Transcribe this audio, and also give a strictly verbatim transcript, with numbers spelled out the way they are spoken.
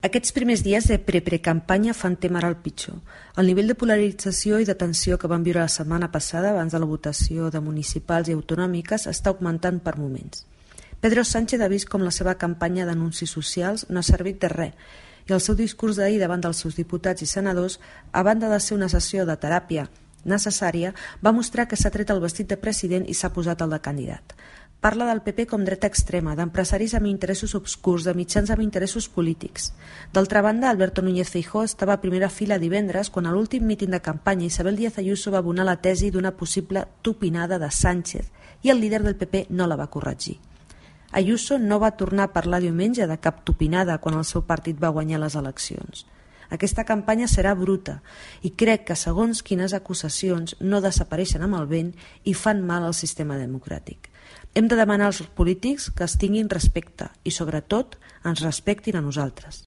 Aquests primers dies de pre-precampanya fan témer al pitjor. El nivell de polarització i de tensió que vam viure la setmana passada abans de la votació de municipals i autonòmiques està augmentant per moments. Pedro Sánchez ha vist com la seva campanya d'anuncis socials no ha servit de res i el seu discurs d'ahir davant dels seus diputats i senadors, a banda de ser una sessió de teràpia necessària, va mostrar que s'ha tret el vestit de president i s'ha posat el de candidat. Parla del P P com dreta extrema, d'empresaris amb interessos obscurs, de mitjans amb interessos polítics. D'altra banda, Alberto Núñez Feijóo estava a primera fila divendres quan a l'últim míting de campanya Isabel Díaz Ayuso va abonar la tesi d'una possible tupinada de Sánchez i el líder del P P no la va corregir. Ayuso no va tornar a parlar diumenge de cap tupinada quan el seu partit va guanyar les eleccions. Aquesta campanya serà bruta i crec que segons quines acusacions no desapareixen amb el vent i fan mal al sistema democràtic. Hem de demanar als polítics que es tinguin respecte i, sobretot, ens respectin a nosaltres.